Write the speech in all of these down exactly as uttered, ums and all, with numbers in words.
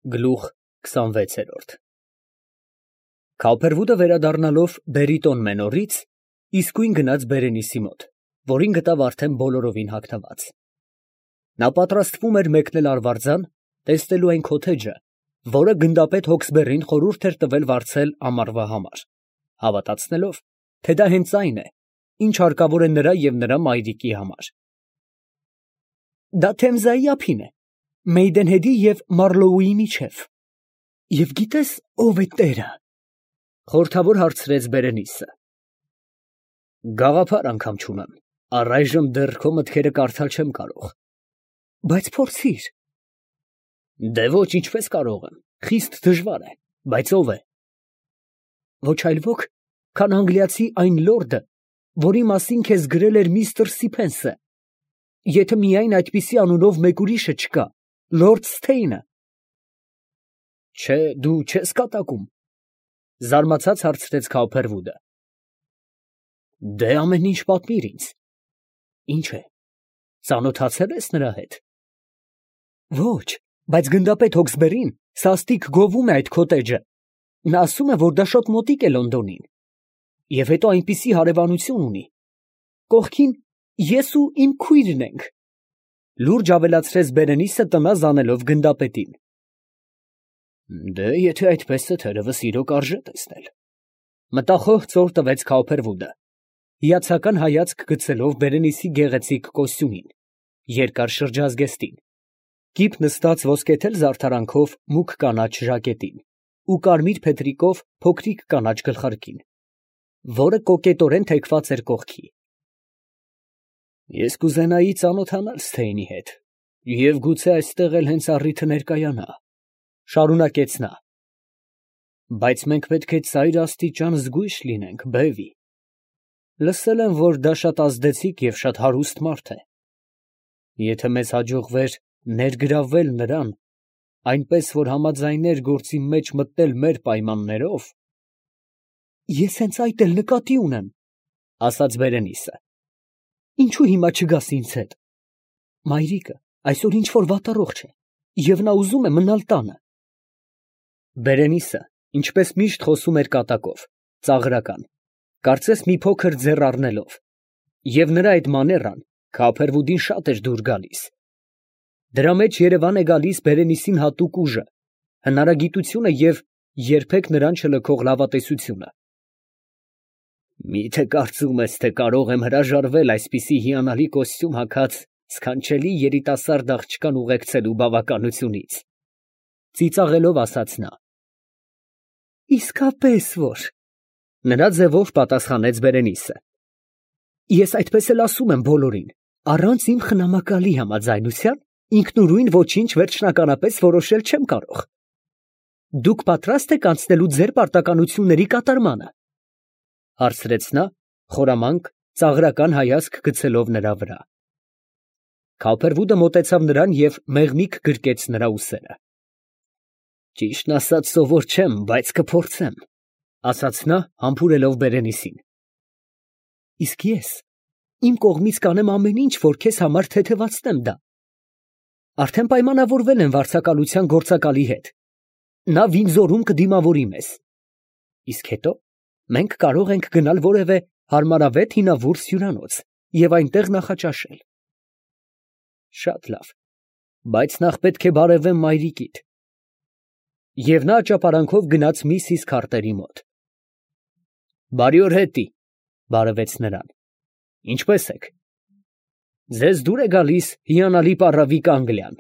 Գլուխ քսանվեց։ Քավփերվուդը վերադառնալով բերի տոն մենորից, իսկույն գնաց Բերենիսի մոտ, որին գտավ արդեն բոլորովին հագնված. նա պատրաստվում էր մեկնել արվարձան, տեսնելու այն քոթեջը, որը գնդապետ Հոքսբերրին խորհուրդ էր տվել վարձել ամառվա համար, հավատացնելով, թե դա հենց այն է, ինչ հարկավոր է նրա և նրա մայրիկի համար։ Դա Թեմզայի ափին է, Մեյդենհեդի և Մարլոուի միջև։ Եվ գիտե՞ս ով է տերը, խորհրդավոր հարցրեց Բերենիսը։ Գաղափար անգամ չունեմ, առայժմ դեռ քո մտքերը կարդալ չեմ կարող։ Բայց փորձիր։ Դե ոչ, ինչպես կարող եմ, խիստ դժվար է, բայց ով է։ Ոչ այլ ոք, քան անգլիացի այն լորդը, որի մասին քեզ գրել էր միստր Սիփենսը, եթե միայն այդպիսի անունով մեկ ուրիշը չկա, լորդ Սթեյնը։ Չէ, դու չես կատակում, զարմացած հարցրեց Քավփերվուդը։ Դե ամեն ինչ պատմիր ինձ։ Ինչ է, ծանոթացե՞լ ես նրա հետ։ Ոչ, բայց գնդապետ Հոքսբերրին սաստիկ գովում է այդ քոթեջը, նա ասում է, որ դա շատ մոտիկ է Լոնդոնին, և հետո այնպիսի հարևանություն ունի, կողքին ես ու իմ քույրն ենք, լուրջ ավելացրեց Բերենիսը տնազ անելով գնդապետին։ Դե եթե այդպես է, թերևս իրոք արժե տեսնել, մտախոհ ծոր տվեց Քավփերվուդը, հիացական հայացք գցելով Բերենիսի գեղեցիկ կոստյումին, երկար շրջազգեստին, կիպ նստած ոսկեթել զարդարանքով մուգ կանաչ ժակետին ու կարմիր փետրիկով փոքրիկ կանաչ գլխարկին, որը կոկետորեն թեքված էր կողքի։ Ես կուզենայի ծանոթանալ Սթեյնի հետ, և գուցե այստեղ էլ հենց առիթը ներկայանա, շարունակեց նա, բայց մենք պետք է ծայր աստիճան զգույշ լինենք, բեվի։ Լսել եմ, որ դա շատ ազդեցիկ և շատ հարուստ մարդ է։ Եթե մեզ հաջողվեր ներգրավվել նրան, այնպես որ համաձայներ գործի մեջ մտնել մեր պայմաններով… Ես հենց այդ էլ նկատի ունեմ, ասաց Բերենիսը։ Ինչու հիմա չգաս ինձ հետ։ Մայրիկը այսօր ինչ֊որ վատառողջ է, և նա ուզում է մնալ տանը։ Բերենիսը, ինչպես միշտ խոսում էր կատակով, ծաղրական, կարծես մի փոքր ձեռ առնելով, և նրա այդ մաներան Քավփերվուդին շատ էր դուր գալիս։ Դրա մեջ երևան է գալիս Բերենիսին հատուկ ուժը, հնարագիտությունը և երբեք նրան չլքող լավատեսությունը։ Մի՞թե կարծում ես, թե կարող եմ հրաժարվել այսպիսի հիանալի կոստյում հագած սքանչելի երիտասարդ աղջկան ուղեկցելու բավականությունից, ծիծաղելով ասաց նա։ Իսկապես որ… նրա ձևով պատասխանեց Բերենիսը։ Ես այդպես էլ ասում եմ բոլորին, առանց իմ խնամակալի համաձայնության ինքնուրույն ոչինչ վերջնականապես որոշել չեմ կարող։ Դուք պատրաստ եք անցնելու ձեր պարտականությունների կատարմանը, հարցրեց նա, խորամանկ, ծաղրական հայացք գցելով նրա վրա։ Քավփերվուդը մոտեցավ նրան և մեղմիկ գրկեց նրա ուսերը։ Ճիշտն ասած սովոր չեմ, բայց կփորձեմ, ասաց նա, համբուրելով Բերենիսին։ Իսկ ես իմ կողմից կանեմ ամեն ինչ, որ քեզ համար թեթևացնեմ դա։ Արդեն պայմանավորվել եմ վարձակալության գործակալի հետ, նա Վինձորում կդիմավորի մեզ։ Իսկ հետո մենք կարող ենք գնալ որևէ հարմարավետ հինավուրց հյուրանոց և այնտեղ նախաճաշել։ Շատ լավ, բայց նախ պետք է բարևեմ մայրիկիդ։ Եվ նա ճապարանքով գնաց միսիս Քարտերի մոտ։ Բարի օր հետի, բարևեց նրան։ Ինչպե՞ս եք։ Ձեզ դուր է գալիս հիանալի պառավիկ Անգլիան։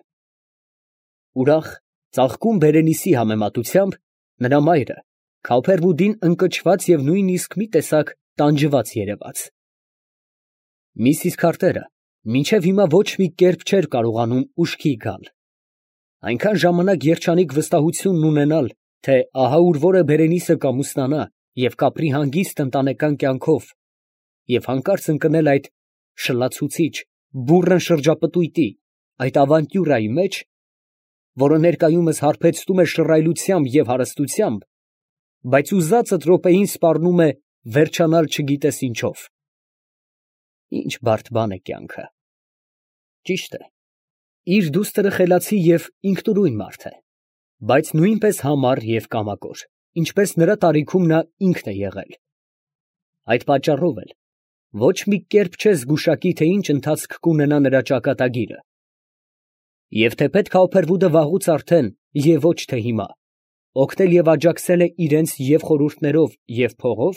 Ուրախ, ծաղկում Բերենիսի համեմատությամբ, նրա մայրը Քավփերվուդին ընկճված և նույնիսկ մի տեսակ տանջված երևաց։ Միսիս Քարտերը մինչև հիմա ոչ մի կերպ չէր կարողանում ուշքի գալ։ Այնքան ժամանակ երջանիկ վստահությունն ունենալ, թե ահա ուր որ է Բերենիսը կամուսնանա և կապրի հանգիստ ընտանեկան կյանքով, և հանկարծ ընկնել այդ շլացուցիչ, բուռն շրջապտույտի, այդ ավանտյուրայի մեջ, որը ներկայումս հարբեցնում է շռայլությամբ և հարստությամբ, բայց ուզածդ րոպեին սպառնում է վերջանալ չգիտես ինչով։ Ինչ բարդ բան է կյանքը։ Ճիշտ է, իր դուստրը խելացի և ինքնուրույն մարդ է, բայց նույնպես համառ և կամակոր, ինչպես նրա տարիքում նա ինքն է եղել. այդ պատճառով էլ ոչ մի կերպ չէ զգուշակի, թե ինչ ընթացք կունենա նրա ճակատագիրը, և թե պետք է Ափերվուդը վաղուց արդեն և ոչ թե հիմա օգնել և աջակցել է իրենց և խորհուրդներով և փողով,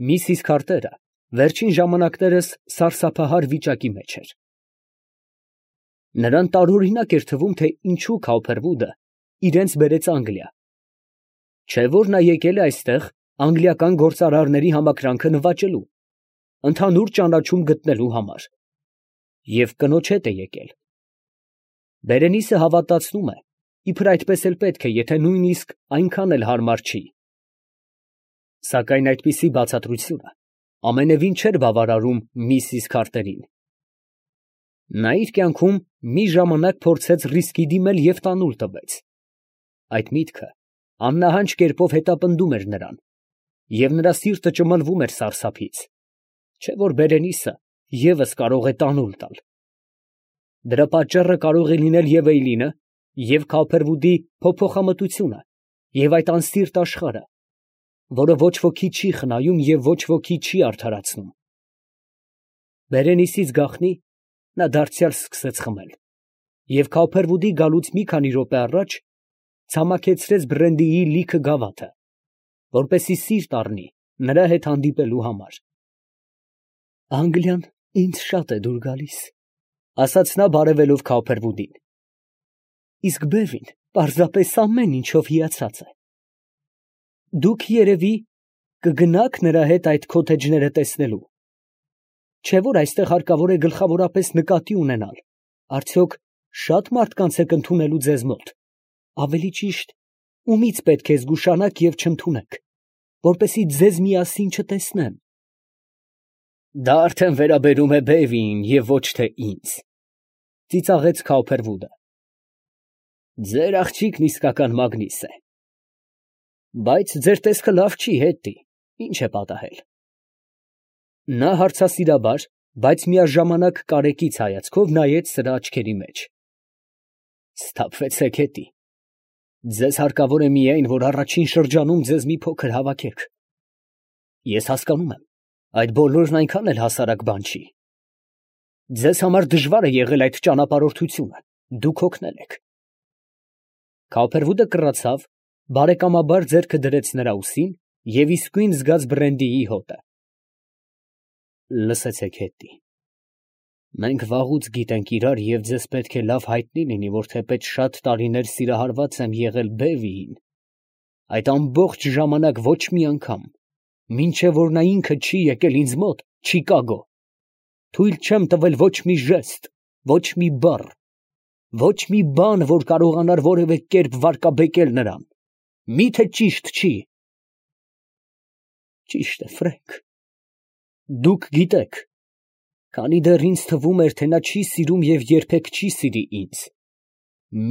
միսիս Քարտերը վերջին ժամանակներս սարսափահար վիճակի մեջ էր. նրան տարօրինակ էր թվում, թե ինչու Քաուփերվուդը իրենց բերեց Անգլիա, չէ՞ որ նա եկել է այստեղ անգլիական գործարարների համակրանքը նվաճելու, ընդհանուր ճանաչում գտնելու համար, և կնոջ հետ է եկել. Բերենիսը հավատացնում է, իբր այդպես էլ պետք է, եթե նույնիսկ այնքան էլ հարմար չի, սակայն այդպիսի բացատրությունը ամենևին չէր բավարարում միսիս Քարտերին. նա իր կյանքում մի ժամանակ փորձեց ռիսկի դիմել և տանուլ տվեց. այդ միտքը աննահանջ կերպով հետապնդում էր նրան, և նրա սիրտը ճմլվում էր սարսափից, չէ՞ որ Բերենիսը ևս կարող է տանուլ տալ. դրա պատճառը կարող է լինել և Էյլինը, և Քաուփերվուդի փոփոխամտությունը, և այդ անսիրտ աշխարհը, որը ոչ ոքի չի խնայում և ոչ ոքի չի արդարացնում. Բերենիսից գաղտնի նա դարձյալ սկսեց խմել, և Քաուփերվուդի գալուց մի քանի րոպե առաջ ցամաքեցրեց բրենդիի լիքը գավաթը, որպեսզի սիրտ առնի նրա հետ հանդիպելու համար։ «Անգլիան ինձ շատ է դուր գալիս», ֊ ասաց նա բարևելով Քաուփերվուդին, «իսկ Բևին պարզապես ամեն ինչով հիացած է։ Դուք, երևի, կգնա՞ք նրա հետ այդ քոթեջները տեսնելու, չէ՞ որ այստեղ հարկավոր է գլխավորապես նկատի ունենալ, արդյոք շա՞տ մարդկանց եք ընդունելու ձեզ մոտ, ավելի ճիշտ, ումից պետք է զգուշանաք և չընդունեք, որպեսզի ձեզ միասին չտեսնեն»։ «Դա արդեն վերաբերում է Բևիին և ոչ թե ինձ», ֊ ծիծաղեց Քաուփերվուդը։ «Ձեր աղջիկն իսկական մագնիս է, բայց ձեր տեսքը լավ չի, հետի, ի՞նչ է պատահել»։ Նա հարցասիրաբար, բայց միաժամանակ կարեկից հայացքով նայեց սրա աչքերի մեջ։ «Սթափվեցեք հետի, ձեզ հարկավոր է միայն, որ առաջին շրջանում ձեզ մի փոքր հավաքեք։ Ես հասկանում եմ, այդ բոլորն այնքան էլ հասարակ բան չի։ Ձեզ համար դժվար է եղել այդ ճանապարհորդությունը, դուք հոգնել եք»։ Քաուփերվուդը կռացավ, բարեկամաբար ձեռքը դրեց նրա ուսին և իսկույն զգաց բրենդիի հոտը։ «Լսեցեք, հետի, մենք վաղուց գիտենք իրար և ձեզ պետք է լավ հայտնի լինի, որ թեպետ շատ տարիներ սիրահարված եմ եղել Բևիին, այդ ամբողջ ժամանակ ոչ մի անգամ, մինչև որ նա ինքը չի եկել ինձ մոտ, Չիկագո, թույլ չեմ տվել ոչ մի ժեստ, ոչ մի բառ, ոչ մի բան, որ կարողանար որևէ կերպ վարկաբեկել նրան, մի՞թե ճիշտ չի»։ «Ճիշտ է, Ֆրենք, դուք գիտեք, քանի դեռ ինձ թվում էր, թե նա չի սիրում և երբեք չի սիրի ինձ,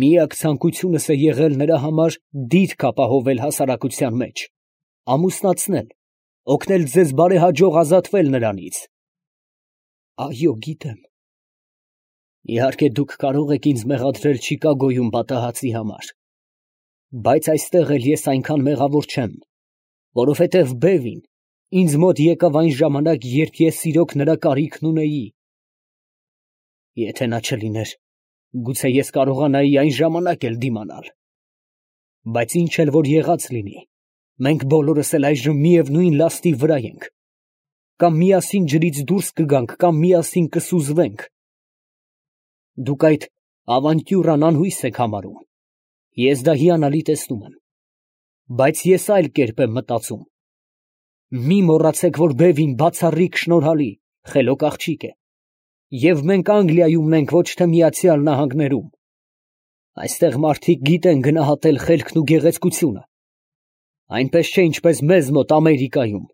միակ ցանկությունս է եղել նրա համար դիրք ապահովել հասարակության մեջ, ամուսնացնել, օգնել ձեզ բարեհաջող ազատվել նրանից»։ «Այո, գիտեմ»։ «Իհարկե դուք կարող եք ինձ մեղադրել Չիկագոյում պատահածի համար, բայց այստեղ էլ ես այնքան մեղավոր չեմ, որովհետև Բևին ինձ մոտ եկավ այն ժամանակ, երբ ես իրոք նրա կարիքն ունեի։ Եթե նա չլիներ, գուցե ես կարողանայի այն ժամանակ էլ դիմանալ։ Բայց ինչ էլ որ եղած լինի, մենք բոլորս էլ այժմ միևնույն լաստի վրա ենք, կամ միասին ջրից դուրս կգանք, կամ միասին կսուզվենք։ Դուք այդ ավանտյուրան անհույս եք համարում, ես դա հիանալի տեսնում եմ, բայց ես այլ կերպ եմ մտածում։ Մի մոռացեք, որ Բևին բացառիկ շնորհալի, խելոք աղջիկ է, և մենք Անգլիայում ենք, ոչ թե Միացյալ Նահանգներում։ Այստեղ մարդիկ գիտեն գնահատել խելքն ու գեղեցկությունը, այնպես չէ, ինչպես մեզ մոտ Ամերիկայում։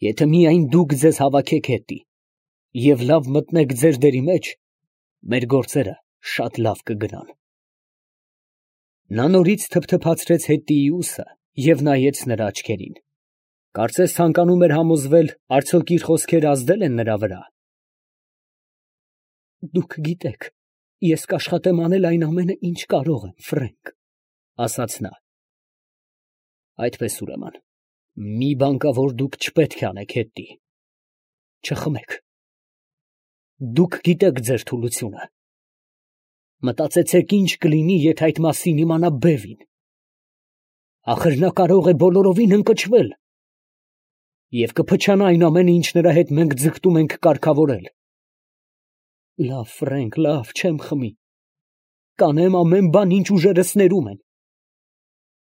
Եթե միայն դուք ձեզ հավաքեք հետի և լավ մտնեք ձեր դերի մեջ, մեր գործերը շատ լավ կգնան։ Նա նորից թփթփացրեց հետիի ուսը և նայեց նրա աչքերին, կարծես ցանկանում էր համոզվել, արդյոք իր խոսքերը ազդել են նրա վրա։ «Դուք գիտեք, Ես կաշխատեմ անել այն ամենը, ինչ կարող եմ, Ֆրենկ, ասաց նա։ Այդպես ուրեմն, մի բան կա, որ դուք չպետք է անեք, Հետտի. չխմեք։ Դուք գիտեք ձեր թուլությունը։ Մտածեցեք, ինչ կլինի, եթե այդ մասին իմանա Բևին։ Ախր նա կարող է բոլորովին ընկճվել և կփչանա այն ամենը, ինչ նրա հետ մենք ձգտում ենք կարգավորել։ Լավ, Ֆրենկ, լավ, չեմ խմի, կանեմ ամեն բան, ինչ ուժերս ներում են,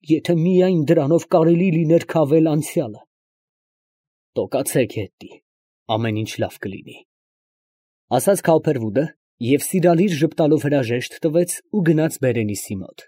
եթե միայն դրանով կարելի լիներ քավել անցյալը։ Տոկացեք, Հետտի, ամեն ինչ լավ կլինի, ասաց Քոուփերվուդը և սիրալիր ժպտալով հրաժեշտ տվեց ու գնաց Բերենիսի մոտ։